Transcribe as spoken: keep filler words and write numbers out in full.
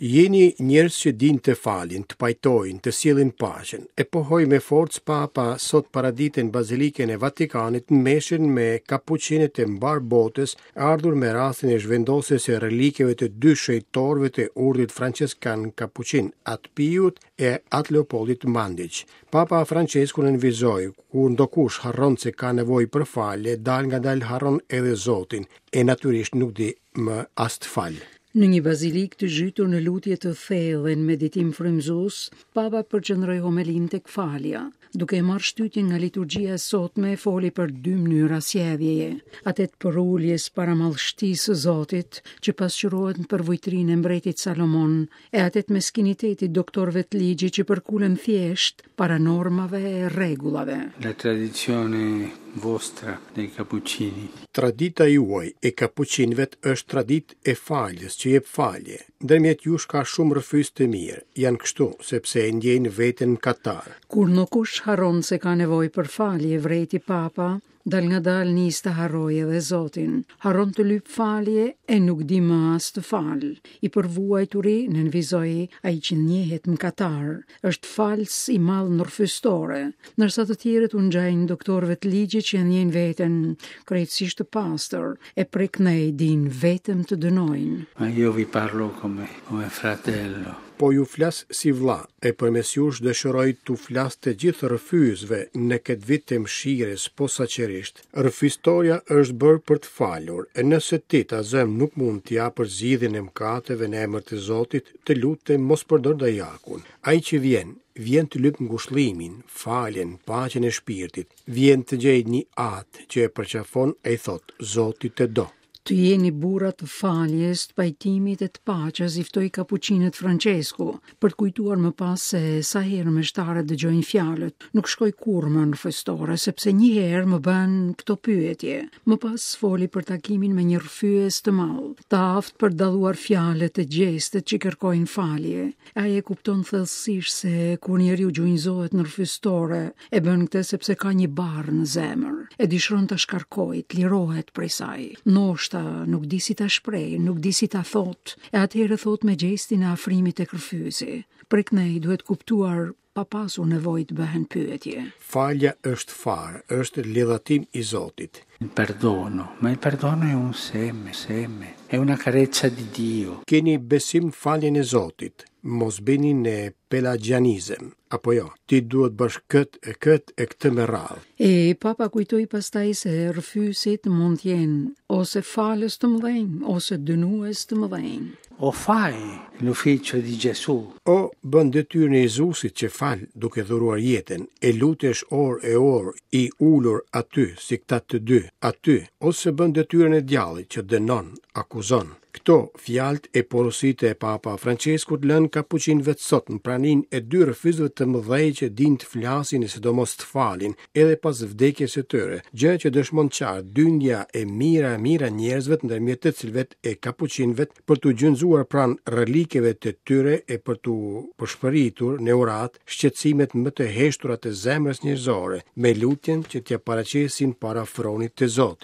Jeni njerëz që dinë të falin, të pajtojnë, të sjellin paqen. E pohoi me forcë Papa sot paradite në Bazilikën e Vatikanit në meshën me kapuçinët e mbarë botës, ardhur me rastin e zhvendosjes së relikeve të dy shenjtorëve të urdhrit Franceskan Kapuçin, Atë Piut e Atë Leopoldit Mandic. Papa Francesku nënvizoi, kur ndokush harron se ka nevojë për falje, dalngadalë harron edhe Zotin, e natyrisht nuk di më as të falë. Në një bazilikë të zhytur në lutje të thellë dhe në meditim frymëzues, Papa përqendroi homelinë tek falja. Duke e marrë shtytjen nga liturgjia e sotme, foli për dy mënyra sjelljeje, atë të përuljes para madhështisë së Zotit, që pasqyrohet në përvujtrinë e mbretit Salomon, e atë të meskinitetit doktorëve të ligjit që përkulen thjesht para normave e rregullave. La tradizione vostra dei Cappuccini. Tradita juaj e kapuçinëve është traditë e faljes që jep falje. Ndërmjet jush ka shumë rrëfyes të mirë. Janë kështu sepse e ndjejnë veten mëkatar. Kur ndokush harron se ka nevojë për falje, vrejti Papa, dalngadalë nis të harrojë edhe Zotin. Harron të lyp falje e nuk di më as të fal. I përvuajturi, nënvizoi, ai që njehet mëkatar, është fals i madh në rrëfystore, ndërsa të tjerët u ngjajnë doktorëve të ligjit që e ndjejnë veten krejtësisht të pastër, e prej këndej dinë vetëm të dënojnë. Ma io vi parlo come, come fratello. Po ju flas si vlla, e përmes jush dëshiroj t'u flas të gjithë rrëfyesve në këtë vit të mëshirës posaçërisht. Rrëfystoria është bërë për të falur, e nëse ti ta zëm nuk mund t'i japësh zgjidhjen e mëkateve në emër të Zotit, të lutem mos përdor dajakun. Ai që vjen, vjen të lyp ngushëllimin, faljen, paqen e shpirtit, vjen të gjejë një atë që e përqafon e i thot, Zoti të do. Të jeni burra të faljes, të pajtimit e të paqes, i ftoi kapuçinët Francesku, për të kujtuar më pas se sa herë meshtarët dëgjojnë fjalët, nuk shkoj kurrë më në rrëfystore, sepse një herë më bën këto pyetje. Më pas foli për takimin me një rrëfyes të madh, të aftë për dalluar fjalët e gjestet që kërkojnë falje. Ai e kupton thellësisht se kur njeriu gjunjëzohet në rrëfystore, e bën këtë sepse ka një barrë në zemër, e dëshiron ta shkarkojë, të lirohet prej saj. Ndoshta nuk di si ta shpreh, nuk di si ta thot, e atëherë thot me gjestin e afrimit tek rrëfyesi. Prej këndej duhet kuptuar pa pasur nevojë të bëhen pyetje. Falja është farë, është ledhatim i Zotit. Il perdono, ma il perdono è un seme, seme, è una carezza di Dio. Keni besim faljen e Zotit, mos bini në pelagianizëm, apo jo, ti duhet bësh kët e kët e këtë me radhë. E Papa kujtoi pastaj se rrëfyesit mund të jenë ose falës të mëdhenj, ose dënues të mëdhenj. O fai l'ufficio di Gesù. O bën detyrën e Jezusit që fal duke dhuruar jetën, e lutesh orë e orë i ulur aty si këta të dy, aty, ose bën detyrën e djallit që dënon, akuzon. Këto fjalët e porositë e Papa Franceskut lënë kapuçinëve sot në praninë e dy rrëfyesve të mëdhenj që dinë të flasin e sidomos të falin edhe pas vdekjes së tyre, gjë që dëshmon qartë dyndja e mira e mira njerëzve ndërmjet të cilëve e kapuçinëve për t'u gjunjëzuar pranë relikeve të tyre e për t'u përshpëritur në urat shqetësimet më të heshtura të zemrës njerëzore, me lutjen që t'ia paraqesin para fronit të Zotit.